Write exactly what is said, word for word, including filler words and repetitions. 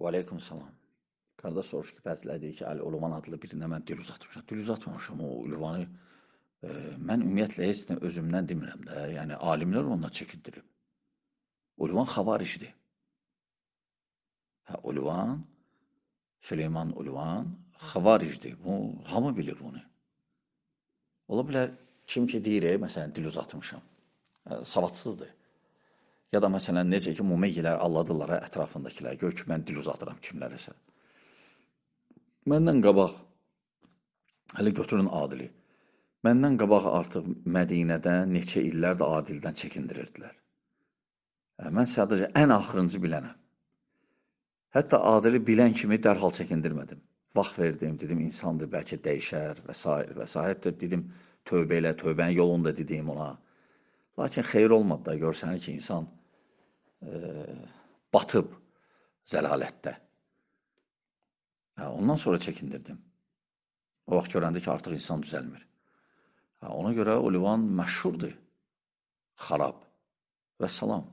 Və aleykum salam. Qardaş soruş ki, bəziləri deyir ki, Əli Uluman adlı birində mən dil uzatmışam. Dil uzatmamışam, o ünvanı e, mən ümumiyyətlə heç nə özümdən demirəm də. Yəni alimlər ondan çəkindirib. Uluman xavaricdir. Hə, Uluman, Süleyman Uluman xavaricdir. Bu, hamı bilir bunu. Ola bilər, kim ki deyir, e, məsələn, dil uzatmışam. E, savadsızdır. Ya da məsələn, necə ki, mumegilər alladırlar ətrafındakilər. Gör ki, mən dil uzadıram kimlərisə. Məndən qabaq, hələ götürün Adili. Məndən qabaq artıq Mədinədən neçə illər də Adildən çəkindirirdilər. Mən sadəcə ən axırıncı bilənəm. Hətta Adili bilən kimi dərhal çəkindirmədim. Vaxt verdim, dedim insandır, bəlkə dəyişər və s. və s. Hətta dedim tövbə elə, tövbənin yolunda dedim ona. Lakin xeyir olmadı da, görsənir ki, insan e, batıb zəlalətdə. Ondan sonra çəkindirdim. O vaxt görəndə ki, artıq insan düzəlmir. Ona görə Olivan məşhurdur. Xarab. Və salam.